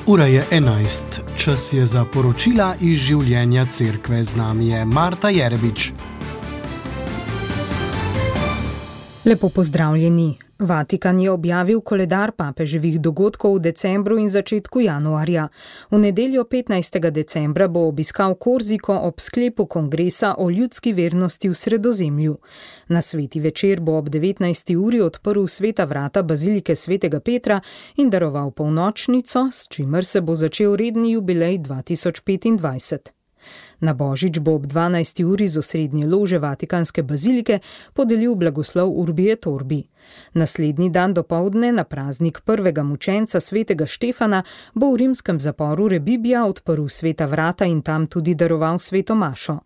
Ura je 11, čas je za poročila iz življenja cerkve. Z nami je Marta Jerebič. Lepo pozdravljeni. Vatikan je objavil koledar papeževih dogodkov v decembru in začetku januarja. V nedeljo 15. decembra bo obiskal Korziko ob sklepu kongresa o ljudski vernosti v Sredozemlju. Na sveti večer bo ob 19. uri odprl sveta vrata bazilike svetega Petra in daroval polnočnico, s čimer se bo začel redni jubilej 2025. Na Božič bo ob 12. uri z osrednje lože Vatikanske bazilike podelil blagoslov Urbi et Orbi. Naslednji dan dopoldne, na praznik prvega mučenca svetega Štefana, bo v rimskem zaporu Rebibbia odprl sveta vrata in tam tudi daroval sveto mašo.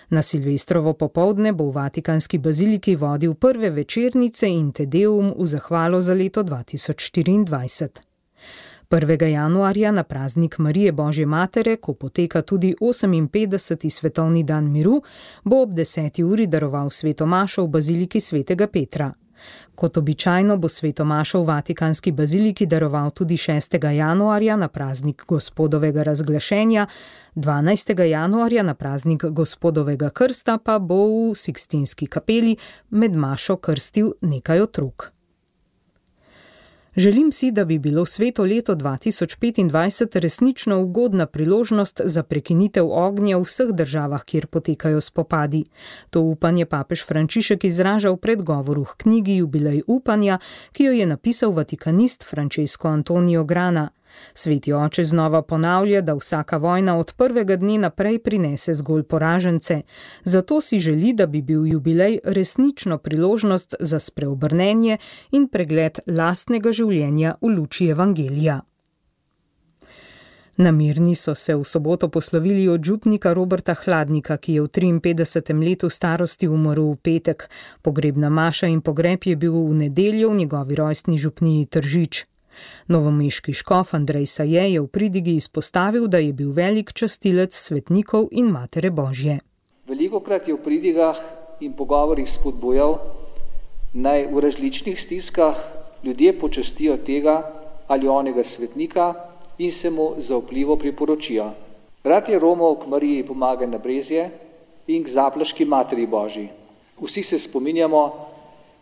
Na Silvestrovo popoldne bo v Vatikanski baziliki vodil prve večernice in Te Deum v zahvalo za leto 2024. 1. januarja na praznik Marije Božje matere, ko poteka tudi 58. svetovni dan miru, bo ob 10. uri daroval sveto mašo v baziliki svetega Petra. Kot običajno bo sveto mašo v Vatikanski baziliki daroval tudi 6. januarja na praznik Gospodovega razglašenja, 12. januarja na praznik Gospodovega krsta pa bo v Sikstinski kapeli med mašo krstil nekaj otrok. Želim si, da bi bilo sveto leto 2025 resnično ugodna priložnost za prekinitev ognja v vseh državah, kjer potekajo spopadi. To upanje papež Frančišek izraža v predgovoru k knjigi Jubilej upanja, ki jo je napisal vatikanist Francesco Antonio Grana. Sveti oče znova ponavlja, da vsaka vojna od prvega dne naprej prinese zgolj poražence. Zato si želi, da bi bil jubilej resnično priložnost za spreobrnenje in pregled lastnega življenja v luči evangelija. Na Mirni so se v soboto poslovili od župnika Roberta Hladnika, ki je v 53. letu starosti umrl v petek. Pogrebna maša in pogreb je bil v nedeljo v njegovi rojstni župniji Tržič. Novomeški škof Andrej Saje je v pridigi izpostavil, da je bil velik častilec svetnikov in Matere Božje. Velikokrat je v pridigah in pogovorih spodbujal, naj v različnih stiskah ljudje počastijo tega ali onega svetnika in se mu zaupljivo priporočijo. Rad je romal k Mariji Pomagaj na Brezje in k Zaplaški Materi Božji. Vsi se spominjamo,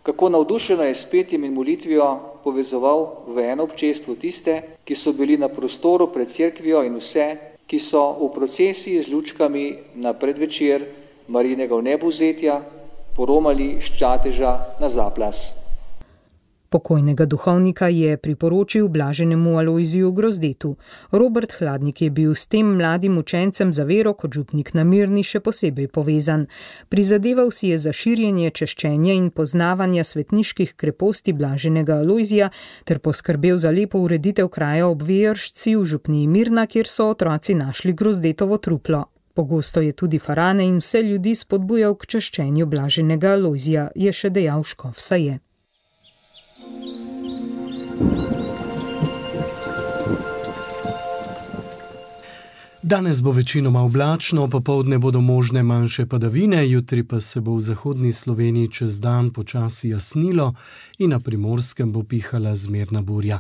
kako navdušeno je s petjem in molitvijo povezoval v eno občestvo tiste, ki so bili na prostoru pred cerkvijo in vse, ki so v procesiji z lučkami na predvečer Marijinega vnebovzetja poromali s Čateža na Zaplas. Pokojnega duhovnika je priporočil blaženemu Alojziju Grozdetu. Robert Hladnik je bil s tem mladim učencem za vero kot župnik na Mirni še posebej povezan. Prizadeval si je za širjenje češčenja in poznavanja svetniških kreposti blaženega Alojzija ter poskrbel za lepo ureditev kraja ob Vejršci v župniji Mirna, kjer so otroci našli Grozdetovo truplo. Pogosto je tudi farane in vse ljudi spodbujal k češčenju blaženega Alojzija, je še dejal škof Saje. Danes bo večinoma oblačno, popoldne bodo možne manjše padavine, jutri pa se bo v zahodni Sloveniji čez dan počasi jasnilo in na Primorskem bo pihala zmerna burja.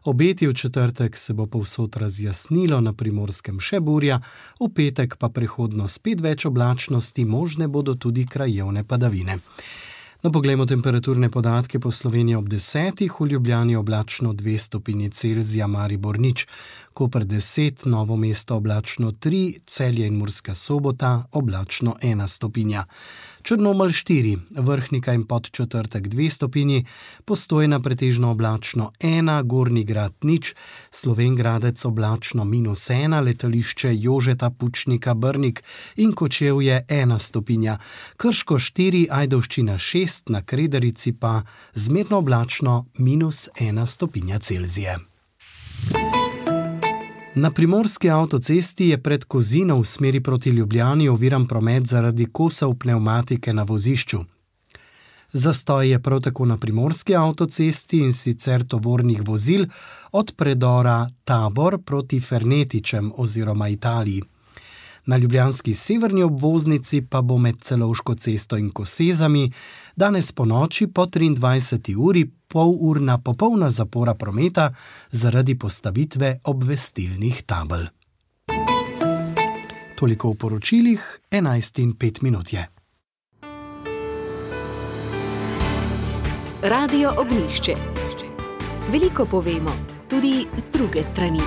Obeti v četrtek se bo povsod razjasnilo, na Primorskem še burja, v petek pa prehodno spet več oblačnosti, možne bodo tudi krajevne padavine. No, poglejmo temperaturne podatke po Sloveniji ob 10, v Ljubljani oblačno 2 stopinji Celzija, Maribor 0, Koper 10, Novo mesto oblačno 3, Celje in Murska Sobota oblačno 1 stopinja. Črnomelj 4, Vrhnika in Podčetrtek 2 stopinji, Postojna pretežno oblačno 1, Gornji Grad 0, Slovenj Gradec oblačno -1, letališče Jožeta Pučnika Brnik in Kočevje 1 stopinja, Krško 4, Ajdovščina 6, na Kredarici pa zmerno oblačno -1 stopinja Celzije. Na Primorski avtocesti je pred Kozino v smeri proti Ljubljani oviran promet zaradi kosov pnevmatike na vozišču. Zastoj je prav tako na Primorski avtocesti, in sicer tovornih vozil od predora Tabor proti Fernetičem oziroma Italiji. Na ljubljanski severni obvoznici pa bo med Celovško cesto in Kosezami danes po noči po 23. uri polurna popolna zapora prometa zaradi postavitve obvestilnih tabel. Toliko v poročilih, 11:05 je. Radio Ognjišče. Veliko povemo, tudi z druge strani.